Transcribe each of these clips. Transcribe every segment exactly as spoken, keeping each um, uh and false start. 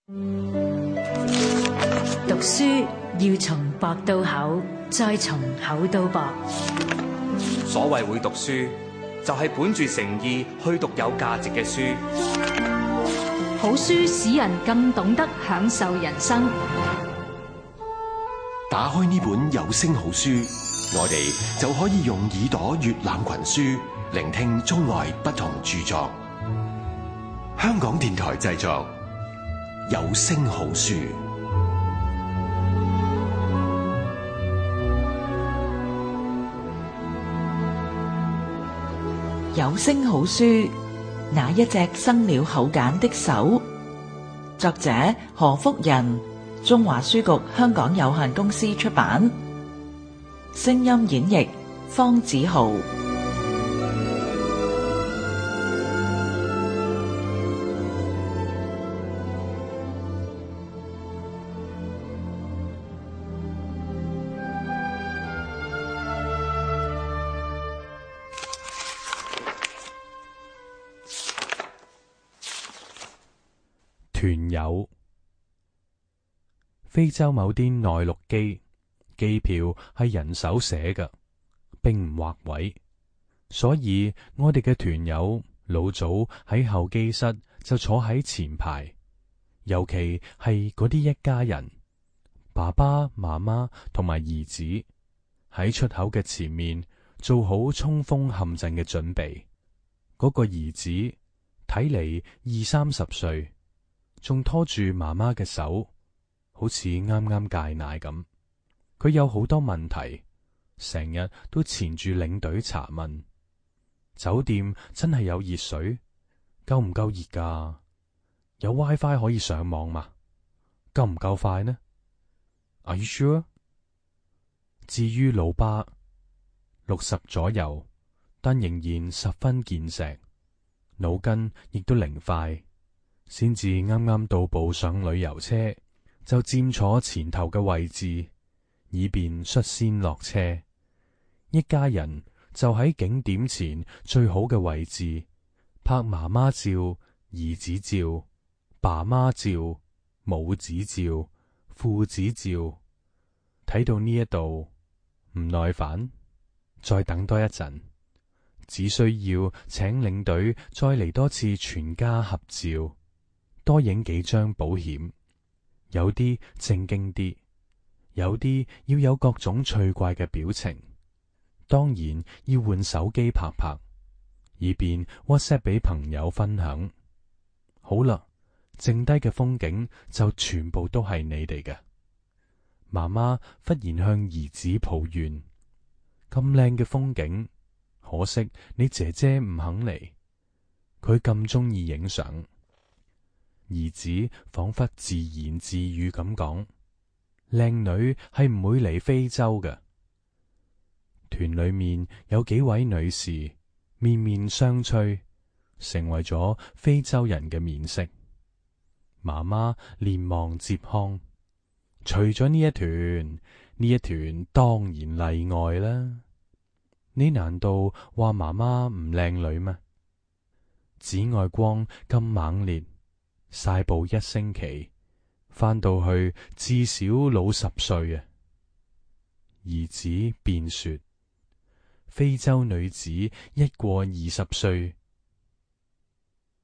讀書要從薄到厚，再從厚到薄。所謂會讀書，就係本住誠意去讀有價值嘅書。好書使人更懂得享受人生。打開呢本有聲好書，我哋就可以用耳朵閱覽群書，聆聽中外不同著作。香港電台製作，有聲好書。有聲好書，那一隻生了口繭的手。作者何福仁，中華書局香港有限公司出版。聲音演繹方子豪。團友。非洲某啲內陸機機票係人手寫嘅，並唔劃位，所以我哋嘅團友老早喺候機室就坐喺前排，尤其係嗰啲一家人，爸爸媽媽同埋兒子喺出口嘅前面做好衝鋒陷陣嘅準備。嗰個兒子睇嚟二三十歲，仲拖住媽媽嘅手，好似啱啱戒奶咁。佢有好多問題，成日都纏住領隊查問。酒店真係有熱水？夠唔夠熱㗎？有 WiFi 可以上網嗎？夠唔夠快呢？ Are you sure？ 至於老爸，六十左右，但仍然十分健碩，腦筋亦都靈快。先至啱啱到步上旅遊車，就佔坐前頭嘅位置，以便率先落車。一家人就喺景點前最好嘅位置，拍媽媽照、兒子照、爸媽照、母子照、父子照。睇到呢一度唔耐煩，再等多一陣，只需要請領隊再嚟多次全家合照，多影幾張保險。有啲正經啲，有啲要有各種趣怪嘅表情。當然要換手機拍拍，以便 WhatsApp 俾朋友分享。好啦，剩低嘅風景就全部都係你哋嘅。媽媽忽然向兒子抱怨：咁靚嘅風景，可惜你姐姐唔肯嚟。佢咁鍾意影相。兒子仿佛自言自語咁講：靚女係唔會嚟非洲嘅。團裏面有幾位女士面面相覷，成為咗非洲人嘅面色。媽媽連忙接腔：除咗呢一團，呢一團當然例外啦。你難道話媽媽唔靚女咩？紫外光咁猛烈，曬步一星期，返到去至少老十歲啊！兒子便說：非洲女子一過二十歲，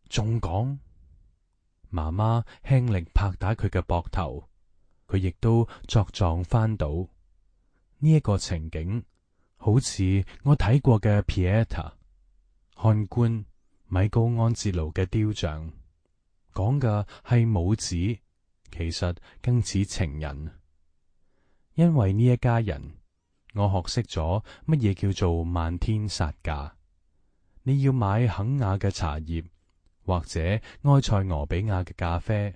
仲講。媽媽輕力拍打佢嘅膊頭，佢亦都作狀翻倒。呢一個情景，好似我睇過嘅 Pieta 漢官米高安哲盧嘅雕像，講嘅係母子，其實更似情人。因為呢一家人，我學識咗乜嘢叫做漫天殺價。你要買肯亞嘅茶葉，或者埃塞俄比亞嘅咖啡，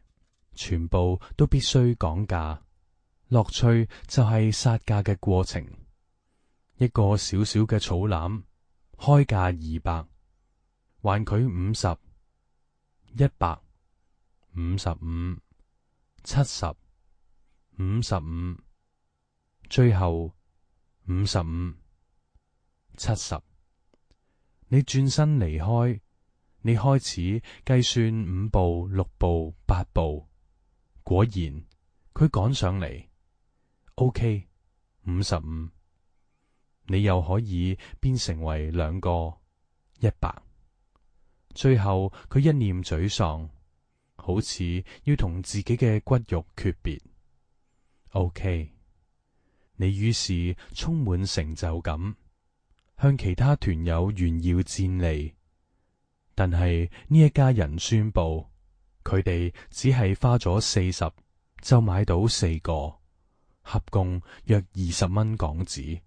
全部都必須講價。樂趣就係殺價嘅過程。一個小小嘅草籃，開價二百，還佢五十、一百、五十五、七十、五十五，最後五十五、七十。你轉身離開，你開始計算五步、六步、八步，果然，佢趕上嚟。OK，五十五，你又可以變成為兩個一百。最後佢一臉沮喪，好似要同自己嘅骨肉訣別。OK，你於是充滿成就感，向其他團友炫耀戰利。但係呢一家人宣布，佢哋只係花咗四十就買到四個，合共約二十蚊港紙，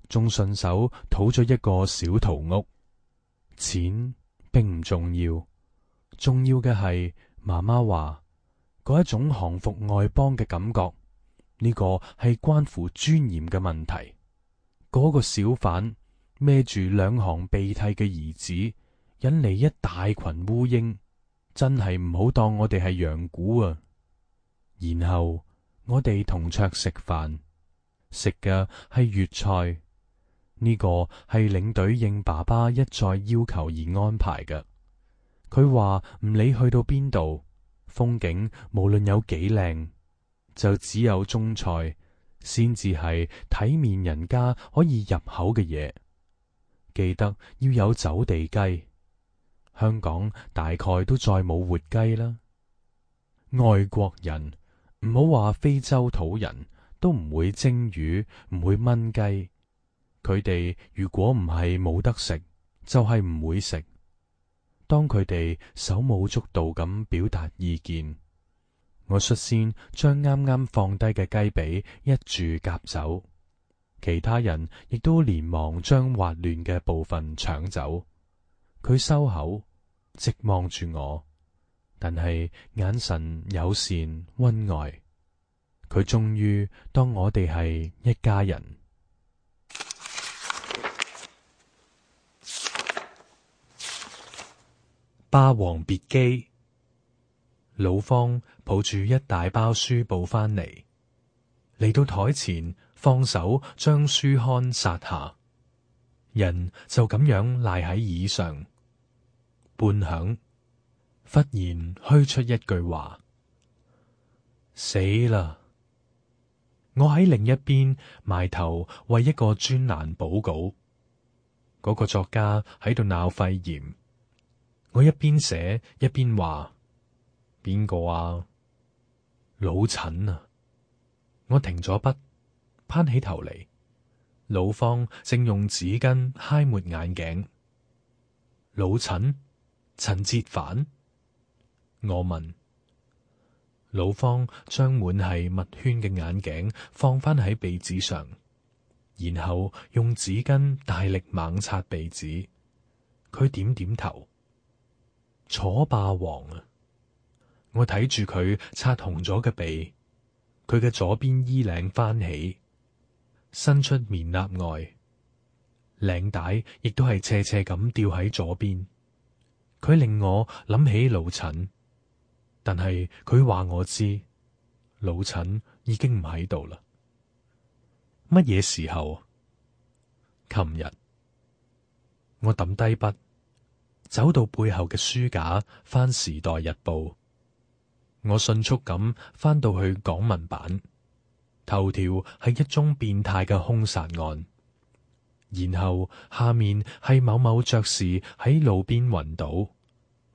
仲順手討咗一個小桃屋。錢並唔重要，重要嘅係媽媽話嗰一種降服外邦嘅感覺，呢個係關乎尊嚴嘅問題。嗰個小販孭住兩行鼻涕嘅兒子，引嚟一大群烏蠅，真係唔好當我哋係羊牯啊！然後我哋同桌食飯，食嘅係粵菜，呢個係領隊應爸爸一再要求而安排嘅。佢話唔理去到邊度，風景無論有幾靚，就只有中菜先至係體面人家可以入口嘅嘢。記得要有走地雞，香港大概都再冇活雞啦。外國人，唔好話非洲土人，都唔會蒸魚，唔會燜雞。佢哋如果唔係冇得食，就係唔會食。當佢哋手舞足蹈咁表達意見，我率先將啱啱放低嘅雞髀一住夾走，其他人亦都連忙將滑亂嘅部分搶走。佢收口，直望住我，但係眼神友善溫愛。佢終於當我哋係一家人。霸王別姬。老方抱住一大包書報翻嚟，嚟到台前，放手將書刊撒下，人就咁樣賴喺椅上。半晌，忽然噓出一句話：死啦！我喺另一邊埋頭為一個專欄補稿，嗰、那個作家喺度鬧肺炎。我一邊寫一邊話：邊個啊？老陳啊！我停咗筆，攀起頭嚟，老方正用紙巾揩抹眼鏡。老陳？陳哲凡？我問。老方將滿係墨圈嘅眼鏡放返喺鼻子上，然後用紙巾大力猛擦鼻子。佢點點頭。楚霸王啊！我睇住佢擦紅咗嘅鼻，佢嘅左邊衣領翻起，伸出棉衲外，領帶亦都係斜斜咁吊喺左邊。佢令我諗起老陳，但係佢話我知老陳已經唔喺度啦。乜嘢時候？琴日。我抌低筆，走到背後嘅書架，翻《時代日報》。我迅速咁翻到去港聞版，頭條係一宗變態嘅兇殺案，然後下面係某某爵士喺路邊暈倒，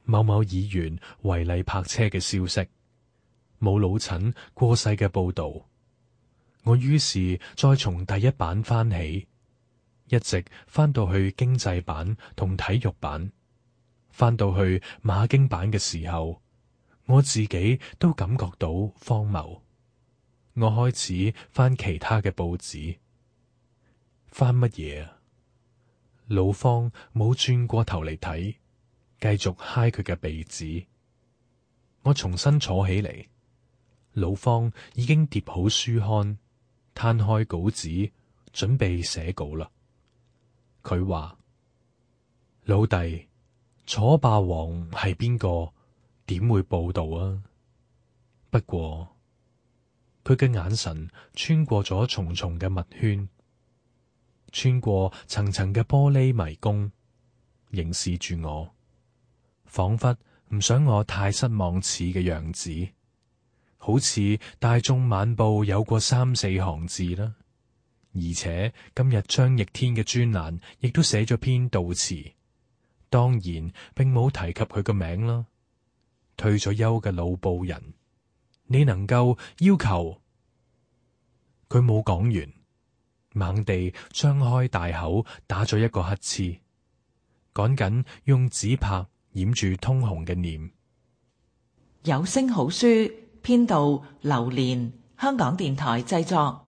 某某議員違例泊車嘅消息，冇老陳過世嘅報道。我於是再從第一版翻起，一直翻到去經濟版同體育版。翻到去馬經版嘅時候，我自己都感覺到荒謬。我開始翻其他嘅報紙，翻乜嘢啊？老方冇轉過頭嚟睇，繼續揩佢嘅鼻子。我重新坐起嚟，老方已經疊好書刊，攤開稿紙，準備寫稿啦。佢話：老弟，楚霸王係邊個？點會報道啊？不過佢嘅眼神穿過咗重重嘅墨圈，穿過層層嘅玻璃迷宮，凝視住我，仿佛唔想我太失望似嘅樣子。好似《大眾晚報》有過三四行字啦。而且今日張翼天嘅專欄亦都寫咗篇悼詞，當然並冇提及佢個名啦。退咗休嘅老報人，你能夠要求佢？冇講完，猛地張開大口打咗一個乞嗤，趕緊用紙拍掩住通紅嘅臉。有聲好書編導劉蓮，香港電台製作。